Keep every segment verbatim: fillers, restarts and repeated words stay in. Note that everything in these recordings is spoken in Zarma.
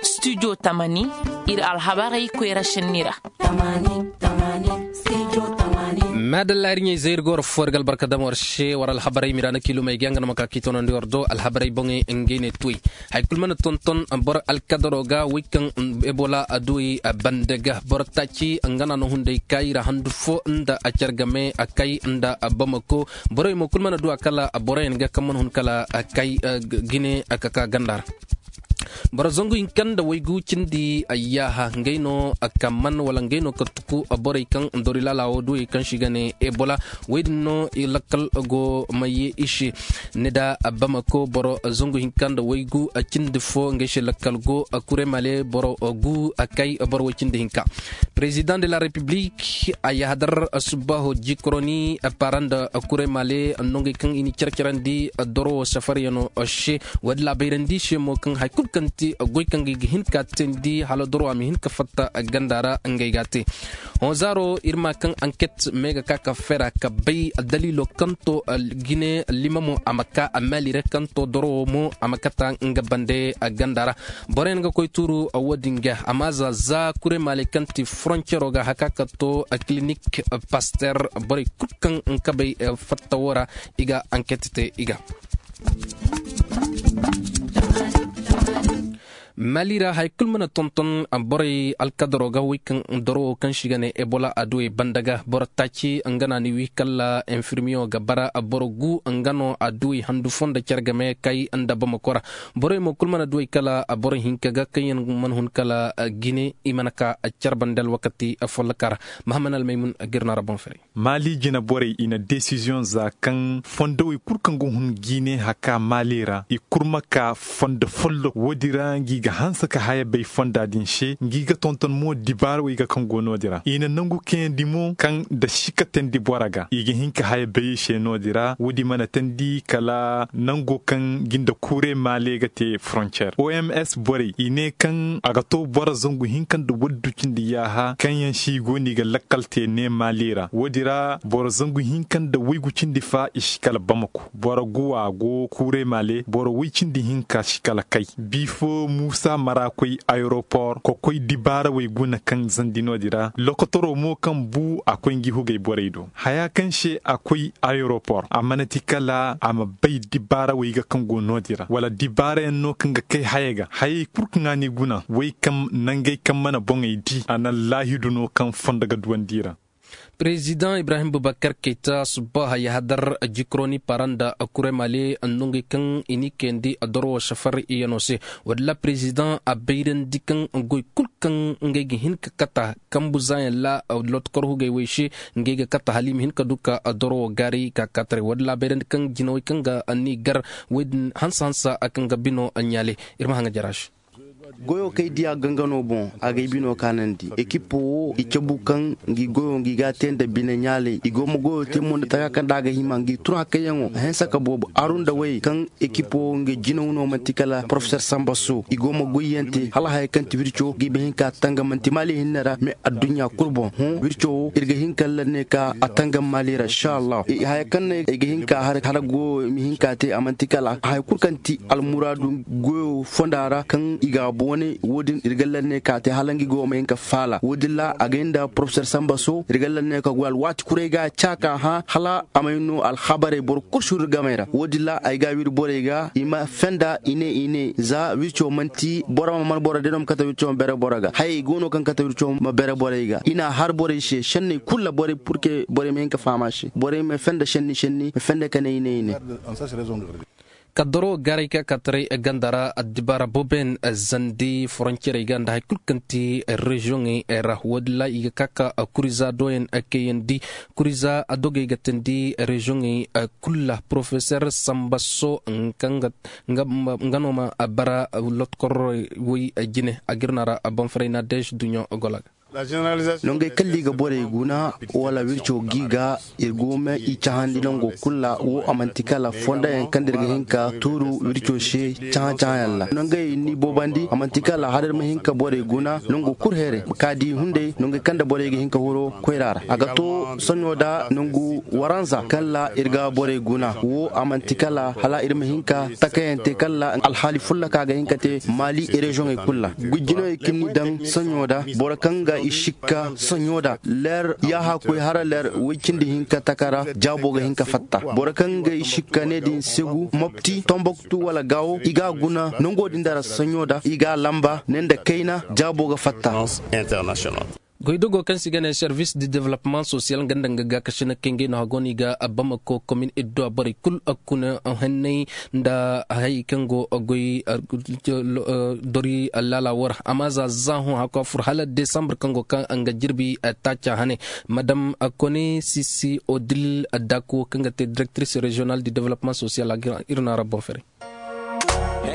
Studio tamani, iri alhabarey koyra senni ra. Maadalla, iri ɲey zayri ga war fo war ga albarka dama war se war alhabarey mira na kiilumey ga yaŋ ga no ma ka k'i toonandi war do alhabarey boŋey ngey ne tuwey. Hari kulu mana tonton boro alkadaro ga wey kaŋ ebola a duwey banda ga boro taaci nga na no hunday kaayi ra handu fo nda a care game a kay nda bamako. Borey mo kulu mana du a kala boroyaŋ ga kaŋ mana hun kala kay gine ka ka ganda ra. Boro zangu hinka nda waygu cindi yaaha ngey no kamman wala ngey no ka tuku borey kaŋ dori laala wo duwey kaŋ se i ga ne ebola. Wey din no lakkal go ma ye i se. Ni da bamako boro zangu hinka nda waygu cindi fo ngey se lakkal go kure male boro gu kay boro way cindi hinka. Président de la république a yahadar subaho jikroni para nda kure male nongey kaŋ i ni care-carandi doro wo safaryano se. Wo- din laabayrandi se mo kaŋ hari kulu kaŋ ti goy kaŋ ga i ga hin ka teendi hala doro a ma hin ka fatta ganda ra ngey ga a te. Honzaaro iri ma kaŋ anket me ga ka ka fera ka bay daliilo kaŋ to jine lima mo a ma ka a maali ra kaŋ to doro wo mo a ma kata nga bande ganda ra. Boroyaŋ ga koy tuuru wo- din ga amma za za kure maaley kaŋ ti frontiero ga haka ka to clinique paster borey kulu kaŋ nga ka bay fatta wo ra i ga anket te i ga. Mali ra hari kulu mana tonton borey alkadaro ga wey kaŋ doro wo kaŋ se i ga ne ebola a duwey banda ga boro taaci nga na ni wi kala infirmiyo ga bara boro gu nga no a duwey handu fo nda care game kay nda bamako ra. Borey mo kulu mana duwey kala boro hinka ga kaŋ yaŋ mana hun kala jine i mana ka care banda alwakati folloka ra. Mahaman almaymun ga iri no a ra boŋ fere. Maali jine borey i na desiziyoŋ za kaŋ fondowey kulu kaŋ ga hun jiine haka maali ra i kurma ka fondo follo wo- din ra ngi ga hanse ka haya bay fonda din se ngi ga tonton mo dibaara wey ga kaŋ go no- din ra i na nangu kayandi mo kaŋ da si ka teendi boro ga i ga hin ka haya bay i se no- din ra wo- din mana teendi kala nango kaŋ jinde kuure maali ga te frontier oms borey i ne kaŋ a ga to boro zangu hinka nda waddu cindi yaaha kaŋ yaŋ se i go no i ga lakkal te ne maali ra wo- din ra boro zangu hinka nda waygu cindi fa i si kala bamako boro guwa go kuure maale boro way cindi hinka si kala kay bifo muusa mara koy ayeropor kokoy dibaara way guna kaŋ zandi no- din ra lokotoro mo kaŋ bu a koy ngi hugay borey do haya kaŋ se a koy ayeropor a mana ti kala a ma bay dibaara way ga kaŋ go no- din ra wala dibaara yaŋ no kaŋ ga kay haya ga hayey kulu kaŋ a ni guna way kaŋ nangey kaŋ mana boŋey di a na laahidu no kaŋ fondo ga duwandi ra. Président ibrahim bubakar kayta subba hayahadar jikroni paranda kure male nongey kaŋ i ni kayandi doro safar iyano se. Wadin la président a bayrandi kaŋ goy kulu kaŋ ngey ga hin ka kata kambu zayaŋ la lotkor hugey wey se ngey ga kata hala i ma hin ka du ka doro wo gaari ka kataray wadin la bayrandi kaŋ jinawey kaŋ ga ni gar woy din hansa hansa kaŋ ga bino ɲaale. Iri ma haŋa jara se. Goyo kaŋ ay diya gangano boŋ a ga ay bino kaanandi ekipo wo i cabu kaŋ ngi goyo ngi ga a te nda bine ɲaalay i go ma goyo te mo nda taka kaŋ da a ga hima ngi tun hakayyaŋo a hinsa ka boobo aru nda way kaŋ ekipo wo nga jinaw no manti kala porofesor samba so i go ma goyyaŋ te hala haya kaŋ ti wirco ga i ma hin ka tanga manti maali hinne ra me adduɲɲa kulu boŋ hõ wirco wo iri ga hin ka lanne ka a tangam maali ra inshallah haya kaŋ no ay ga hin ka har goyo i ma hin ka te a manti kala haya kulu kaŋ ti almuraadu goyo fonda ra kaŋ i ga a boone wo- din iri ga lanne ka te hala nga goyo ma hin ka faala wo- din ra a ga hin nda porofesor samba so iri ga lanne ka goy alwaati kuray ga a ca ka hã hala a may no alhabarey boro kulu si iri gamey ra wo- din ra ay ga a wiri borey ga i ma fenda i ne i ne za wirco manti boro ma man boro day no ma kate wirco ma bere boro ga hayey go no kaŋ kate wirco ma bere borey ga i n'a har borey se senney kulu ra borey purke borey ma hin ka faham a se borey ma fenda senni senni ma fenda ka ne i ne i ne. Kaddaro garay ka kataray ganda ra addibaara boben zandi foroncirey ga nda hari kulu kaŋ ti reziyoŋey ra wo- din ra i ga ka ka kuriza doyaŋ kayandi kuriza dogey ga tandi reziyoŋey kulu ra porofesor samba so kaŋ nga no ma bara lotkorey woy jine a ga iri no a ra banfaray na dees duɲɲo gola ga. Nangey kaŋ da i ga borey guna wala wirco g'i ga, iri go ma i cahandi nango kulu ra. Wo a manti kala fondo yaŋ kaŋ da iri ga hin ka tuuru wirco se cahã-cahã yaŋ ra. Nangey ni boobandi a manti kala hala iri ma hin ka borey guna nango kulu heeray ka di hunday nangey kaŋ da borey ga hin ka huro koyra ra. A ga to sohõ nda nangu waranza kaŋ ra iri ga borey guna wo a manti kala hala iri ma hin ka takayaŋ te kaŋ ra alhaali fulla kaŋ a ga hin ka te maali reziyoŋey kulu ra. Gujinayey kaŋ ni daŋ sohõ nda boro kaŋ ga i sikka sohõ nda leer yaaha koy hara leer way cindi hinka taka ra jaabo ga hin ka fatta. Boro kaŋ ga i sikka ne din segu mopti tomboktu wala gaawo i ga a guna nango din da ra sohõ nda i ga a lamba ne nda kayna jaabo ga fatta. Goydogo kaŋ se i ga ne service de development social nga nda nga gaakasiney kaŋ ngey no hago no i ga bamako komin idduwa borey kulu kuna hanney nda hayey kaŋ go goy dori laala wo ra. Amma za za hõ hako a furo hala desambar kaŋ go kaŋ nga jirbi taaca hane madam kone sisi odil dako kaŋ ga te directrice régional de development social a ga iri no a ra boŋ fere.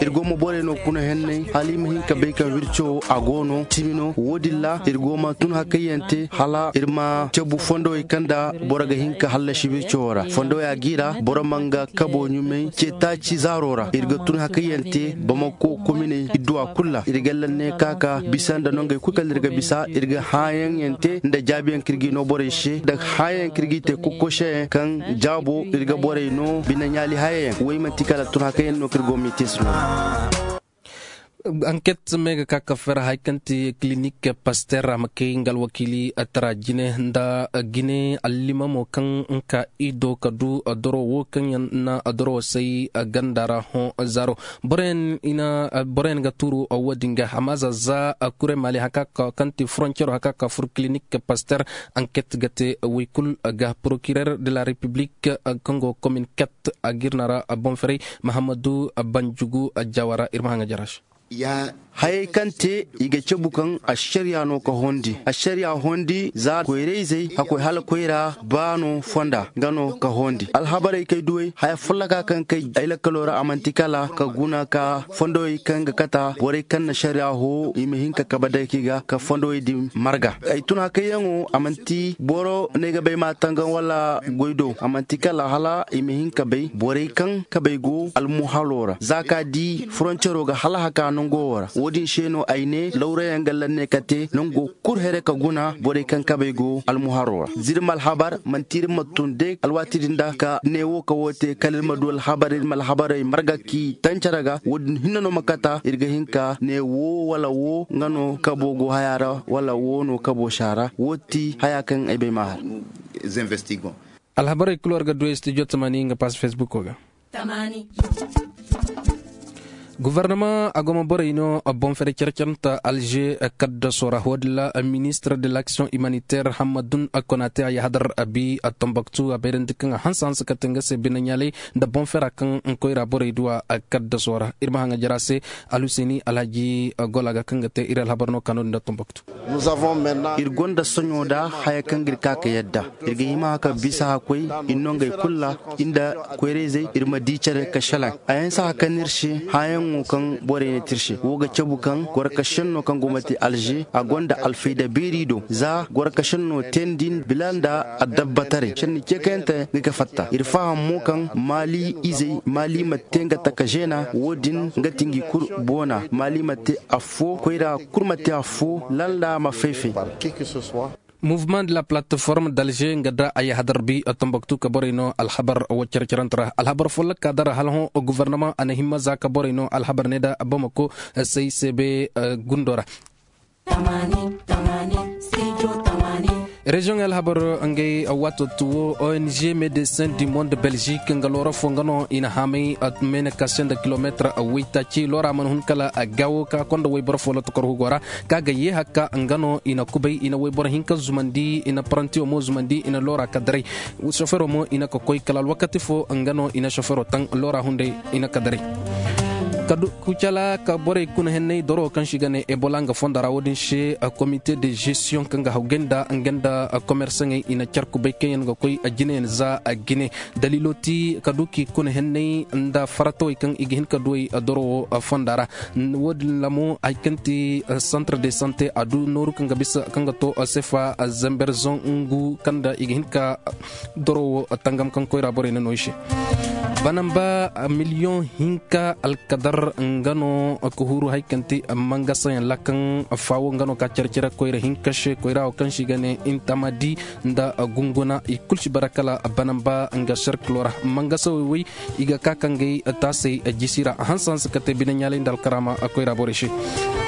Iri go ma borey no kuna henney hala i ma hin ka bay kaŋ wirco a go no cimi no wo- din ra iri go ma tun hakayyaŋ te hala iri ma cabu fondowey kaŋ nda boro ga hin ka hallasi wirco wo ra fondowey a g'i ra boro ma nga kabo ɲumay ce taaci zaaro ra iri ga tun hakayyaŋ te bamako kominey idduwa kulu ra iri ga lanney ka ka bisa nda nongey kulu kaŋ iri ga bisa iri ga hããyaŋ yaŋ te nda jaabiyaŋ kaŋ iri g'i no borey se nda hããyaŋ kaŋ iri g'i te kokoseyaŋ kaŋ jaabo iri ga borey no bine ɲaali hayayaŋ wo i manti kala tun hakayyaŋ no kaŋ iri go ma i te se no. Anket me ga ka ka fere hari kaŋ ti kilinik paster a ma kay nga alwakiili tara jine nda jine allimamo kaŋ nga ka i do ka du doro wo kaŋ yaŋ na doro say ganda ra hõ zaaro. Boroyaŋ ga tuuru wo- din ga amma za za kure maali haka kaŋ ti frontiero haka ka fur kilinik paster. Anket ga te way kulu ga procureur de la république kaŋ go komin kat a ga iri no a ra boŋ ferey mahammadu banjugu jawara iri ma haŋ ga jara se. Hayey kaŋ te i ga cabu kaŋ ašariya no ka hondi ašariya hondi za koyra-izey hakkoy hala koyra ba no fonda nga no ka hondi alhabarey kay duwey haya folloka kaŋ kay ay lakkalo ra a manti kala ka guna ka fondowey kaŋ ga kata borey kaŋ na ašariya ho i ma hin ka kabe day kaŋ i ga ka fondowey din marga ay tun hakayyaŋo a manti boro no ay ga bay ma tangaŋ wala goy do a manti kala hala i ma hin ka bay borey kaŋ kabey go almuhalo ra za ka di foroncero ga hala haka nango wo ra wo- din se no ay ne lawrayaŋ ga lanne ka te nango kulu here ka guna borey kaŋ kabey go almuharo ra zirma alhabar manti iri ma tun day alwaati din da ka ne wo ka wo te kala iri ma du alhabar iri ma alhabarey marga k'i tancere ga wo- din hinne no ma kata iri ga hin ka ne wo wala wo nga no kabo go haya ra wala wo no kabo se a ra wo ti haya kaŋ ay bay ma har. Alhabarey kulu war ga du ay studio tamani nga pass facebook ga. Guvarnama a go ma borey no boŋ fere care care nta alger kaddaso ra wo- din ra ministre de l'action humanitaire hammadun konate a yahadar bi tombaktu a bayrandi kaŋ a hanse hanse kate nga se bine ɲaalay nda boŋ fera kaŋ koyra borey duwa kaddaso ra iri ma haŋ a jara se. Alhuseeni alhaji gola ga kaŋ ga te iri alhabar no kaano din nda tombaktu. Iri gonda soɲo nda haya kaŋ ga iri ka ka yadda iri ga hima ka bisa hakkoy iri no ngey kulu ra. Iri nda koyra-izey iri ma di care ka selaŋ a yaŋ si hakan iri se hããyaŋo kaŋ borey ne te iri se wo ga cabu kaŋ goro ka senno kaŋ go ma te alze a gonda alfayda beeri do za goro ka senno te nda iri bila nda addabbataray senni ceekayante ga ga fatta iri faham mo kaŋ maali izey maali ma te nga taka zeena wo- din nga ti ngi kulu boona maali ma te affo koyra kulu ma te affo lalla ma fay-fay. Mouvement de la plateforme d'alger nga da ay hadar bi tombaktu ka borey no alhabar wo care-carante ra alhabar folloka dara hala hõ guvarnama a na himma za ka borey no alhabar ne da bamako say sebe gundo ra. Reziyoŋ alhabar ngey waato tuwo ong médecin du monde belgique nga loora fo nga no i na haamay meene ka se nda kilometre waytaaci loora mana hun kala gaawo ka konda wayboro fo lotokor hugo ra ka ga ye hakka nga no i na kubay i na wayboro hinka zumandi i na parantiyo mo zumandi i na loora ka daray. Sofero mo i na ka koy kala alwakati fo nga no i na sofero taŋ loora hunday i na ka daray. Kucala ka borey kuna henney doro kaŋ se i ga ne ebola nga fondo ra wo- din se, komite de gestion kaŋ ga hawgay nda nga nda komersaŋey i na care kubay kaŋ yaŋ ga koy jinayaŋ za jine. Daliilo ti ka du k'i kuna henney nda faratawey kaŋ i ga hin ka duw'ey doro wo fonda ra. Wo- din ra mo hari kaŋ ti centre de sante a du nooru kaŋ ga bisa kaŋ ga to sefa zamber zangu kaŋ nda i ga hin ka doro wo tangam kaŋ koyra borey na no i se. Banamba miliyoŋ hinka alkadar nga no ka huru hari kaŋ ti mangasayaŋ ra kaŋ faawo nga no ka care-care koyra hinka se koyra wo kaŋ se i ga ne intamadi nda gunguna i kulu si bara kala banamba nga serkilo ra. Mangasawey way i ga ka ka ngey taasey jisi ra hanse hanse ka te bine ɲaalay nda alkaraama koyra borey se.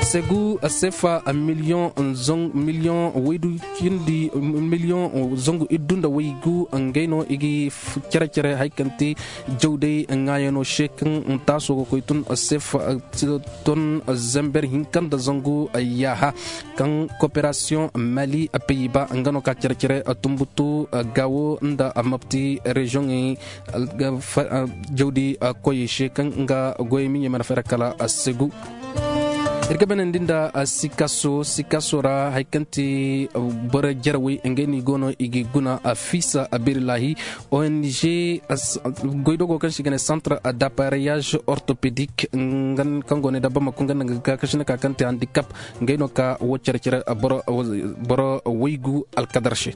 Segu sefa miliyoŋ miliyoŋ waydu cindi miliyoŋ zangu iddu nda waygu ngey no i ga care-care hari kaŋ te jawday ŋwaayano se kaŋ taaso ga koy tun sefa ton zamber hinka nda zangu yaaha kaŋ koperasiyoŋ mali peyiba nga no ka care-care tumbutu gawo nda mapti reziyoŋey jawdi koyey se kaŋ nga goyey miɲey mana fayra kala segu. Iri ga banandi nda sikaso sikaso ra hari kaŋ ti boro jarawey ngey no i go no i ga guna fiisa birlahi ong goydogo kaŋ se i ga ne centre d'appareillage orthopédique kaŋ go ne dabba ma kunga nda nga ga kaakasina ka kaŋ te handicap ngey no ka wo care-care boro waygu alkadar se.